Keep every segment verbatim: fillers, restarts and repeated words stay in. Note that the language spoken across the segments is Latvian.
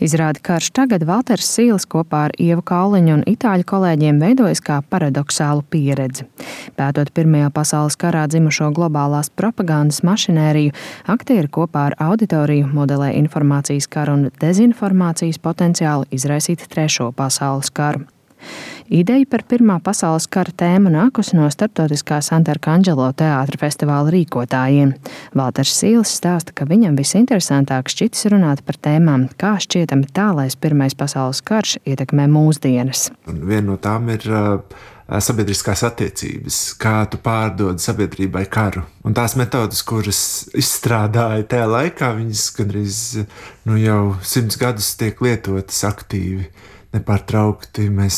Izrādi Karš tagad Valters Sīls kopā ar Ievu Kauliņu un itāļu kolēģiem veidojas kā paradoxālu pieredzi. Pētot Pirmajā pasaules karā dzimušo globālās propagandas mašinēriju, aktieri kopā ar auditoriju modelē informācijas karu un dezinformācijas potenciālu izraisīt Trešo pasaules karu. Ideja par Pirmā pasaules kara tēmu nākusi no starptautiskā Sant'Arcangelo teātra festivāla rīkotājiem. Valters Sīls stāsta, ka viņam visinteresantāk šķitis runāt par tēmām, kā šķietami tālais Pirmais pasaules karš ietekmē mūsdienas. Un viena no tām ir uh, sabiedriskās attiecības, kā tu pārdod sabiedrībai karu. Un tās metodas, kuras izstrādāja tajā laikā, viņas gandrīz nu, jau simts gadus tiek lietotas aktīvi. Nepārtraukti mēs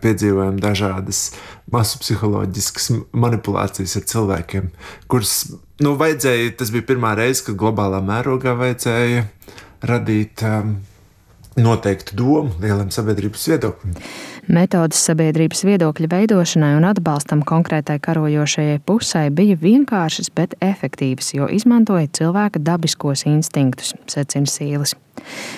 piedzīvojam dažādas masu psiholoģiskas manipulācijas ar cilvēkiem, kuras, nu, vajadzēja, tas bija pirmā reize, kad globālā mērogā vajadzēja radīt um, noteiktu domu lielam sabiedrības viedoklim. Metodes sabiedrības viedokļa veidošanai un atbalstam konkrētai karojošajai pusē bija vienkāršas, bet efektīvas, jo izmantoja cilvēka dabiskos instinktus, secina Sīlis.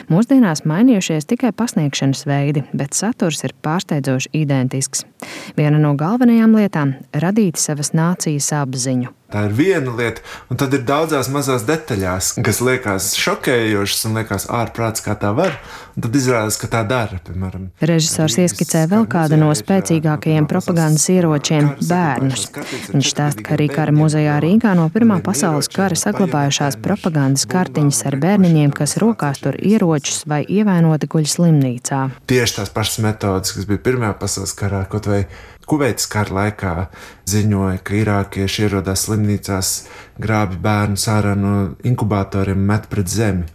Mūsdienās mainījušies tikai pasniegšanas veidi, bet saturs ir pārsteidzoši identisks. Viena no galvenajām lietām – radīt savas nācijas apziņu. Tā ir viena lieta, un tad ir daudzās mazās detaļās, kas liekas šokējošas un liekas ārprāts, kā tā var, un tad izrādās, ka tā dara, piemēram. Režisors ieskicē vēl kādu no spēcīgākajiem propagandas ieročiem – bērnus. Viņš stāsta, ka arī Kara muzejā Rīgā no Pirmā pasaules kara saglabājušās propagandas kartiņas ar bērniņiem, kas rokās tur ieročus vai ievainoti guļ slimnīcā. Tieši tās pašas metodas, kas bija Pirmajā pasaules karā, kaut vai Kuveitas kara laikā ziņoja, ka irākieši ierodās slimnīcās, grābi bērnus ārā no inkubatoriem, met pret zemi.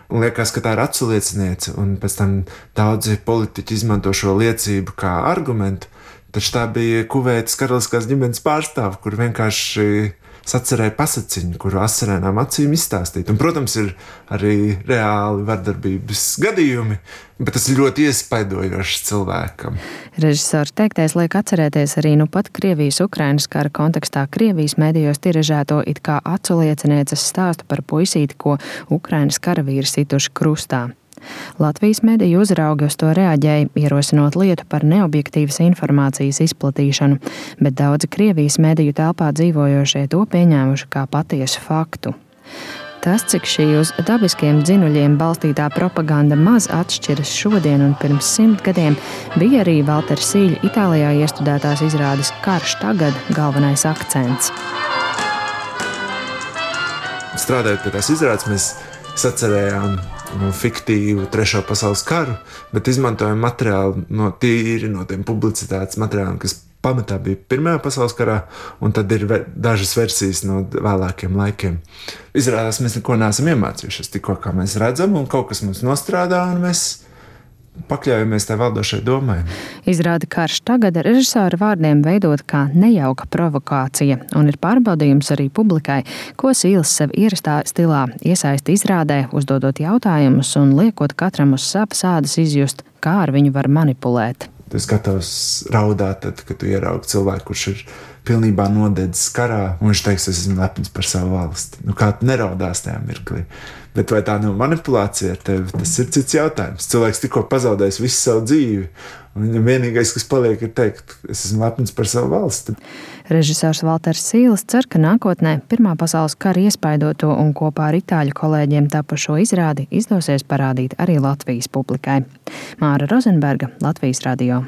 Un liekas, ka tā ir aculieciniece, un pēc tam daudzi politiķi izmanto šo liecību kā argumentu, taču tā bija Kuveitas karaliskās ģimenes pārstāve, kur vienkārši sacerēja pasaciņu, kuru asarēnām acīm izstāstīt. Un, protams, ir arī reāli vardarbības gadījumi, bet tas ir ļoti iespaidojošs cilvēkam. Režisors teiktais liek atcerēties arī nu pat Krievijas-Ukrainas kara kontekstā Krievijas medijos tiražēto it kā aculiecinieces stāstu par puisīti, ko Ukrainas karavīri situši krustā. Latvijas mediju uzraugi uz to reaģēja, ierosinot lietu par neobjektīvas informācijas izplatīšanu, bet daudzi Krievijas mediju telpā dzīvojošie to pieņēmuši kā patiesu faktu. Tas, cik šī uz dabiskiem dzinuļiem balstītā propaganda maz atšķiras šodien un pirms simt gadiem, bija arī Valtera Sīļa Itālijā iestudētās izrādes Karš tagad galvenais akcents. Strādājot pie tās izrādes, mēs sacerējām no fiktīvu Trešo pasaules karu, bet izmantojam materiālu no tīri no tiem publicitātes materiāliem, kas pamatā bija Pirmajā pasaules karā, un tad ir dažas versijas no vēlākiem laikiem. Izrādās, mēs neko neesam iemācījušies, tikko kā mēs redzam, un kaut kas mums nostrādā, un mēs pakļaujamies tai valdošai domai. Izrādi Karš tagad režisora vārdiem veidot kā nejauka provokācija, un ir pārbaudījums arī publikai, ko Sīls sev ierastā stilā iesaista izrādē, uzdodot jautājumus un liekot katram uz savas ādas izjust, kā ar viņu var manipulēt. Tu esi gatavs raudāt, tad, kad tu ieraugi cilvēku, kurš ir pilnībā nodedzis karā, un viņš teiks, es esmu lepns par savu valsti. Nu, kā tu neraudās tajā mirklī? Bet vai tā nav manipulācija ar tevi? Tas ir cits jautājums. Cilvēks tikko pazaudējis visu savu dzīvi, un viņam vienīgais, kas paliek, ir teikt, es esmu lepns par savu valsti. Režisors Valters Sīls cer, ka nākotnē Pirmā pasaules kara iespaidoto un kopā ar itāļu kolēģiem tapušo izrādi izdosies parādīt arī Latvijas publikai. Māra Rozenberga, Latvijas radio.